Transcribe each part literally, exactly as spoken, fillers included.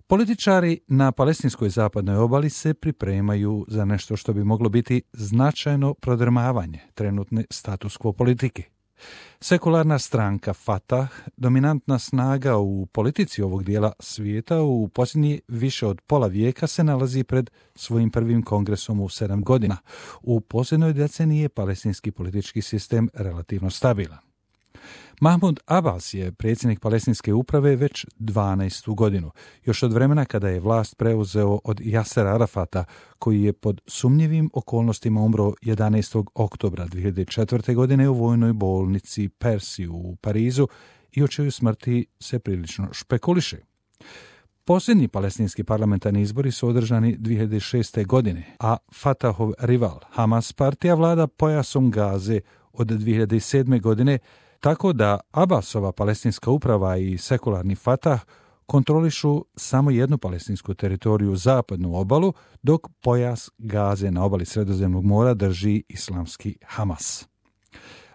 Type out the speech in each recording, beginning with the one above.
Političari na palestinskoj zapadnoj obali se pripremaju za nešto što bi moglo biti značajno prodrmavanje trenutne status quo politike. Sekularna stranka Fatah, dominantna snaga u politici ovog dijela svijeta, u posljednji više od pola vijeka se nalazi pred svojim prvim kongresom u sedam godina. U posljednjoj deceniji je palestinski politički sistem relativno stabilan. Mahmud Abbas je predsjednik palestinske uprave već dvanaestu godinu, još od vremena kada je vlast preuzeo od Jasera Arafata, koji je pod sumnjivim okolnostima umro jedanaestog oktobra dvije hiljade četvrte. godine u vojnoj bolnici Persi u Parizu i o čijoj smrti se prilično špekuliše. Posljednji palestinski parlamentarni izbori su održani dvije hiljade šeste. godine, a Fatahov rival Hamas partija vlada pojasom Gaze od dvije hiljade sedme. godine, tako da Abbasova palestinska uprava i sekularni Fatah kontrolišu samo jednu palestinsku teritoriju, zapadnu obalu, dok pojas Gaze na obali Sredozemnog mora drži islamski Hamas.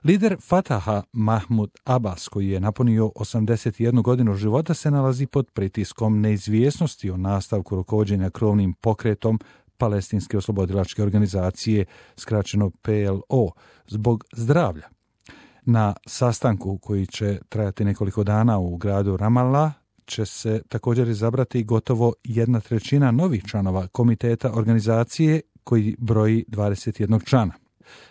Lider Fataha Mahmud Abbas, koji je napunio osamdeset jednu godinu života, se nalazi pod pritiskom neizvjesnosti o nastavku rukovođenja krovnim pokretom Palestinske oslobodilačke organizacije, skraćeno P L O, zbog zdravlja. Na sastanku koji će trajati nekoliko dana u gradu Ramallah će se također izabrati gotovo jedna trećina novih članova komiteta organizacije koji broji dvadeset jedan člana.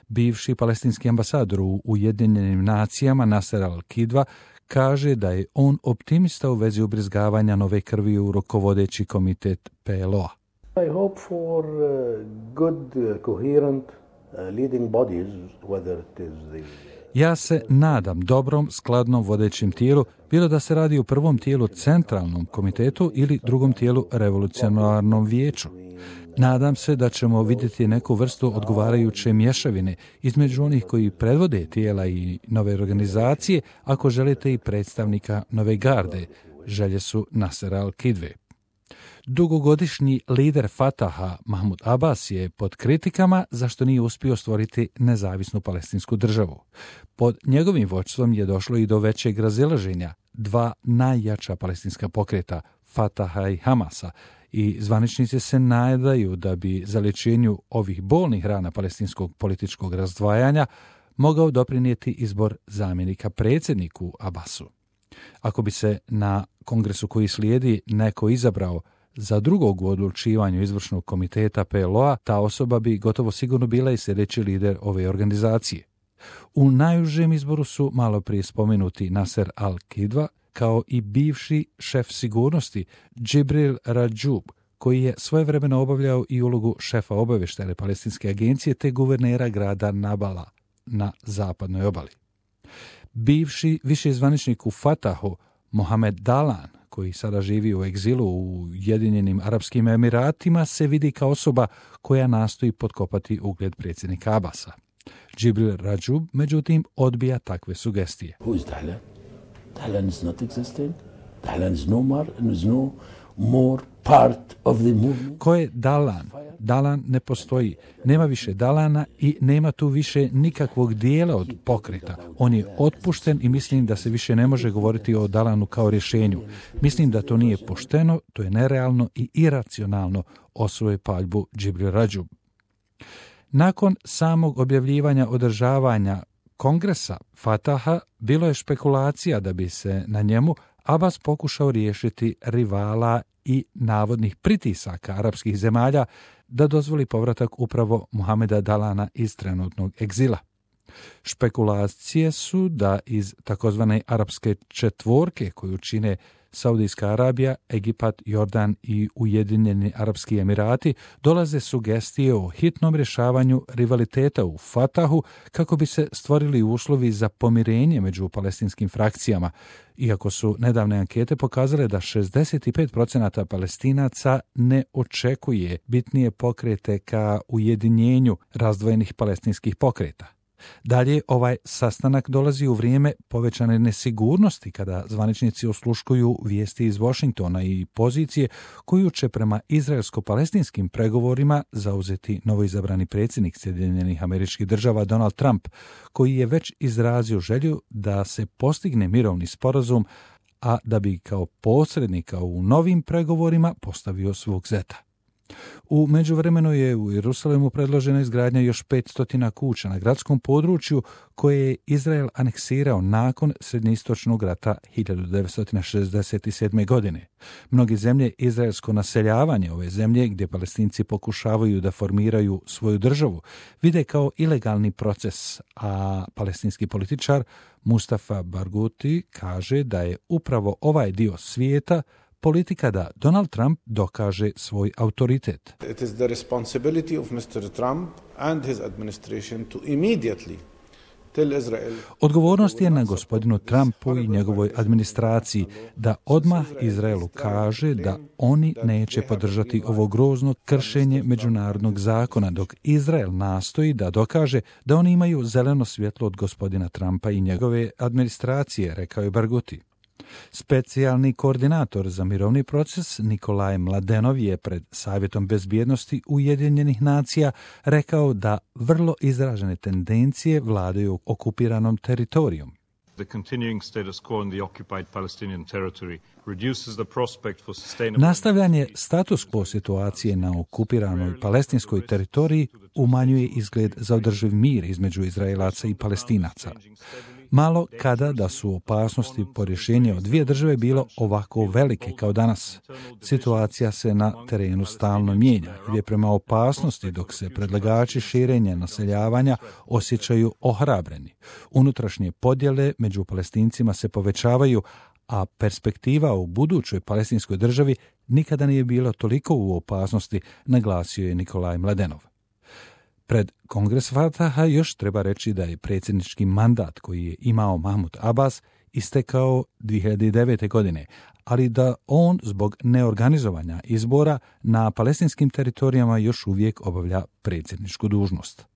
Bivši palestinski ambasador u Ujedinjenim nacijama Nasser al-Kidva kaže da je on optimista u vezi ubrizgavanja nove krvi u rukovodeći komitet P L O-a. I hope for uh, good, uh, coherent uh, leading bodies, whether it is the Ja se nadam dobrom, skladnom vodećem tijelu, bilo da se radi o prvom tijelu centralnom komitetu ili drugom tijelu revolucionarnom vijeću. Nadam se da ćemo vidjeti neku vrstu odgovarajuće mješavine između onih koji predvode tijela i nove organizacije, ako želite i predstavnika nove garde, želje su Nasera al-Kidve. Dugogodišnji lider Fataha Mahmud Abbas je pod kritikama zašto nije uspio stvoriti nezavisnu palestinsku državu. Pod njegovim vođstvom je došlo i do većeg razilaženja dva najjača palestinska pokreta, Fataha i Hamasa, i zvaničnici se nadaju da bi zaliječenju ovih bolnih rana palestinskog političkog razdvajanja mogao doprinijeti izbor zamjenika predsjedniku Abbasu. Ako bi se na kongresu koji slijedi neko izabrao za drugog u odlučivanju izvršnog komiteta P L O-a, ta osoba bi gotovo sigurno bila i sljedeći lider ove organizacije. U najužem izboru su malo prije spomenuti Nasser al-Kidva, kao i bivši šef sigurnosti Džibril Rađub, koji je svojevremeno obavljao i ulogu šefa obavještajne palestinske agencije te guvernera grada Nabala na zapadnoj obali. Bivši viši zvaničnik u Fatahu Mohamed Dalan, koji sada živi u egzilu u Ujedinjenim Arapskim Emiratima, se vidi kao osoba koja nastoji potkopati ugled predsjednika Abbasa. Džibril Rađub, međutim, odbija takve sugestije. Who is Dahlan? Dahlan is not existing. Dahlan is no more, is no more part of the movement. Ko je Dalan? Dalan ne postoji. Nema više Dalana i nema tu više nikakvog dijela od pokreta. On je otpušten i mislim da se više ne može govoriti o Dalanu kao rješenju. Mislim da to nije pošteno, to je nerealno i iracionalno, osvoje paljbu Džibril Rađub. Nakon samog objavljivanja održavanja kongresa Fataha bilo je špekulacija da bi se na njemu Abbas pokušao riješiti rivala i navodnih pritisaka arapskih zemalja da dozvoli povratak upravo Mohameda Dalana iz trenutnog egzila. Špekulacije su da iz takozvane arapske četvorke koju čine Saudijska Arabija, Egipat, Jordan i Ujedinjeni Arapski Emirati dolaze sugestije o hitnom rješavanju rivaliteta u Fatahu kako bi se stvorili uslovi za pomirenje među palestinskim frakcijama, iako su nedavne ankete pokazale da šezdeset pet posto Palestinaca ne očekuje bitnije pokrete ka ujedinjenju razdvojenih palestinskih pokreta. Dalje, ovaj sastanak dolazi u vrijeme povećane nesigurnosti kada zvaničnici osluškuju vijesti iz Washingtona i pozicije koju će prema izraelsko-palestinskim pregovorima zauzeti novoizabrani predsjednik Sjedinjenih Američkih Država Donald Trump, koji je već izrazio želju da se postigne mirovni sporazum, a da bi kao posrednika u novim pregovorima postavio svog zeta. U međuvremenu je u Jerusalemu predložena izgradnja još petsto kuća na gradskom području koje je Izrael aneksirao nakon Srednjoistočnog rata hiljadu devetsto šezdeset sedme. godine. Mnoge zemlje izraelsko naseljavanje ove zemlje, gdje Palestinci pokušavaju da formiraju svoju državu, vide kao ilegalni proces, a palestinski političar Mustafa Barghouti kaže da je upravo ovaj dio svijeta politika da Donald Trump dokaže svoj autoritet. It is the responsibility of mister Trump and his administration to immediately tell Israel. Odgovornost je na gospodinu Trumpu i njegovoj administraciji da odmah Izraelu kaže da oni neće podržati ovo grozno kršenje međunarodnog zakona, dok Izrael nastoji da dokaže da oni imaju zeleno svjetlo od gospodina Trumpa i njegove administracije, rekao je Barghouti. Specijalni koordinator za mirovni proces Nikolaj Mladenov je pred Savjetom bezbjednosti Ujedinjenih nacija rekao da vrlo izražene tendencije vladaju okupiranom teritorijom. The continuing status quo in the occupied Palestinian territory reduces the prospect for sustainable... Nastavljanje status quo situacije na okupiranoj palestinskoj teritoriji umanjuje izgled za održiv mir između Izraelaca i Palestinaca. Malo kada da su opasnosti po rješenju od dvije države bilo ovako velike kao danas. Situacija se na terenu stalno mijenja, gdje prema opasnosti dok se predlagači širenja naseljavanja osjećaju ohrabreni. Unutrašnje podjele među Palestincima se povećavaju, a perspektiva u budućoj palestinskoj državi nikada nije bila toliko u opasnosti, naglasio je Nikolaj Mladenov. Pred Kongres Fataha još treba reći da je predsjednički mandat koji je imao Mahmud Abbas istekao dvije hiljade devete. godine, ali da on zbog neorganizovanja izbora na palestinskim teritorijama još uvijek obavlja predsjedničku dužnost.